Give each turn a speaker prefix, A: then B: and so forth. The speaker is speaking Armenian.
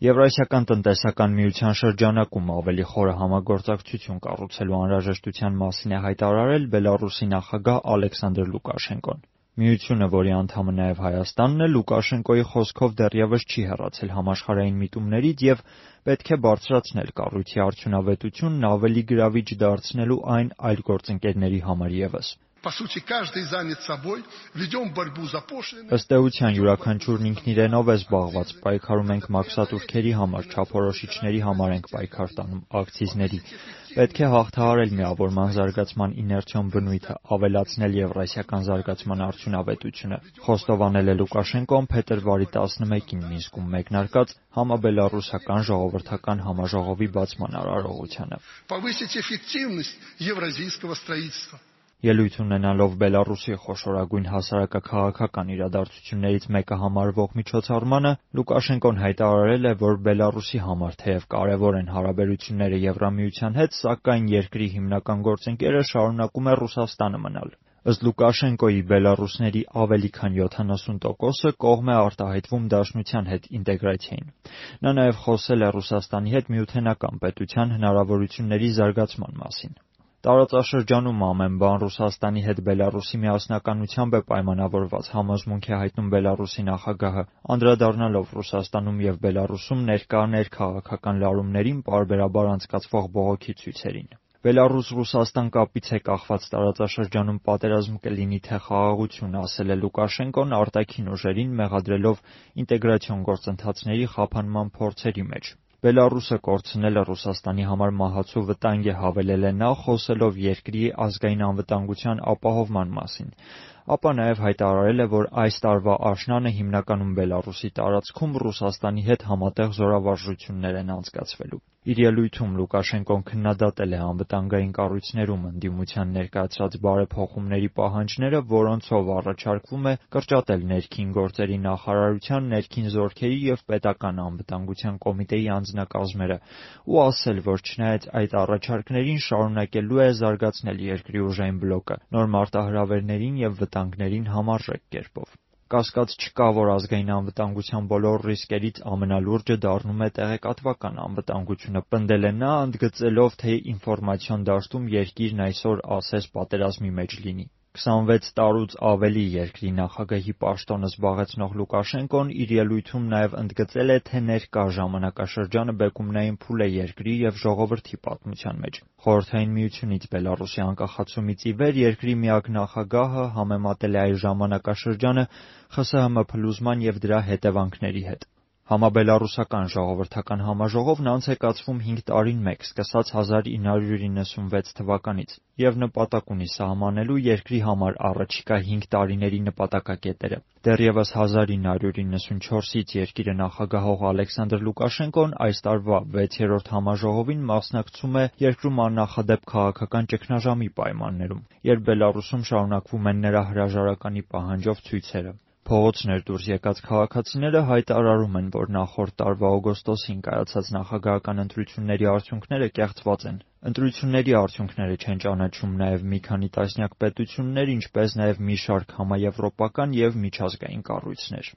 A: Եվրասիական տնտեսական միության շրջանակում ավելի խորը համագործակցություն կառուցելու անհրաժեշտության մասին է հայտարարել Բելառուսի նախագահ Ալեքսանդր Լուկաշենկոն։ Միությունը, որի անդամը նաև Հայաստանն է, Լուկաշենկոյի խոսքով դեռևս չի հեռացել համաշխարհային միտումներից և պետք է բարձրացնել կառույցի արդյունավետությունն ավելի գրավիչ դարձնելու այն այլ գործընկերների համար ևս։ Ըստ էության յուրաքանչյուրն ինքն իրենով է զբաղված, պայքարում ենք մաքսատուրքերի համար, չափորոշիչների համար ենք պայքար տանում, ակցիզների։ Պետք է հաղթահարել միավորման զարգացման իներցիոն բնույթը, ավելացնել եվրասիական զարգացման արդյունավետությունը, խոստովանել է Լուկաշենկոն փետրվարի 11-ին Մինսկում մեկնարկած համաբելառուսական ժողովրդական համաժողովի բացման արարողությանը։ Ելույթ ունենալով Բելառուսի խոշորագույն հասարակաքաղաքական իրադարձություններից մեկը համարվող միջոցառմանը, Լուկաշենկոն հայտարարել է, որ Բելառուսի համար թեև կարևոր են հարաբերությունները Եվրամիության հետ, սակայն երկրի հիմնական գործընկերը շարունակում է Ռուսաստանը մնալ։ Ըստ Լուկաշենկոյի, բելառուսների ավելի քան 70%-ը կողմ է արտահայտվում Դաշնության հետ ինտեգրացիային։ Նա նաև խոսել է Ռուսաստանի հետ միութենական պետության հնարավորությունների զարգացման մասին։ Տարածաշրջանում ամեն բան Ռուսաստանի հետ Բելառուսի միասնականությամբ է պայմանավորված, համոզմունք է հայտնում Բելառուսի նախագահը, անդրադառնալով Ռուսաստանում և Բելառուսում ներկա ներքաղաքական լարումներին պարբերաբար անցկացվող բողոքի ցույցերին։ Բելառուս-Ռուսաստան կապից է կախված տարածաշրջանում պատերազմ կլինի թե խաղաղություն, ասել է Լուկաշենկոն արտաքին ուժերին մեղադրելով ինտեգրացիոն գործընթացների խափանման փորձերի մեջ։ Բելառուսը կորցնելը Ռուսաստանի համար մահացու վտանգ է, հավելել է նա, խոսելով երկրի ազգային անվտանգության ապահովման մասին։ Ապա նաև հայտարարել է, որ այս տարվա աշնանը հիմնականում Բելառուսի տարածքում Ռուսաստանի հետ համատեղ զորավարժություններ են անցկացվելու։ Իր ելույթում Լուկաշենկոն քննադատել է անվտանգային կառույցներում ընդդիմության ներկայացրած բարեփոխումների պահանջները, որոնցով առաջարկվում է կրճատել ներքին գործերի նախարարության, ներքին զորքերի և պետական անվտանգության կոմիտեի անձնակազմերը, ու ասել, որ չնայած այդ առաջարկներին շարունակելու է զարգացնել երկրի ուժային բլոկը նոր մարտահրավերներին և վտանգներին համարժեք կերպով։ Կասկած չկա, որ ազգային անվտանգության բոլոր ռիսկերից ամենալուրջը դառնում է տեղեկատվական անվտանգությունը, պնդել է նա, ընդգծելով, թե ինֆորմացիոն դաշտում երկիրն այսօր ասես պատերազմի մեջ լինի։ 26 տարուց ավելի երկրի նախագահի պաշտոնը զբաղեցնող Լուկաշենկոն իր ելույթում նաև ընդգծել է, թե ներկա ժամանակաշրջանը բեկումնային փուլ է երկրի և ժողովրդի պատմության մեջ։ Խորհրդային Միությունից Բելառուսի անկախացումից ի վեր երկրի միակ նախագահը համեմատել է այս ժամանակաշրջանը ԽՍՀՄ փլուզման և դրա հետևանքների հետ։ Համաբելառուսական ժողովրդական համաժողովն անց է կացվում 5 տարին մեկ, սկսած 1996 թվականից, և նպատակ ունի սահմանելու երկրի համար առաջիկա 5 տարիների նպատակակետերը։ Դեռևս 1994-ից երկիրը նախագահող Ալեքսանդր Լուկաշենկոն այս տարվա 6-րդ համաժողովին մասնակցում է երկրում աննախադեպ քաղաքական ճգնաժամի պայմաններում, երբ Բելառուսում շարունակվում են նրա հրաժարականի պահանջով ցույցերը։ Փողոցներ դուրս եկած քաղաքացիները հայտարարում են, որ նախորդ տարվա օգոստոսին կայացած նախագահական ընտրությունների արդյունքները կեղծված են։ Ընտրությունների արդյունքները չեն ճանաչում նաև մի քանի տասնյակ պետություններ, ինչպես նաև մի շարք համաեվրոպական և միջազգային կառույցներ։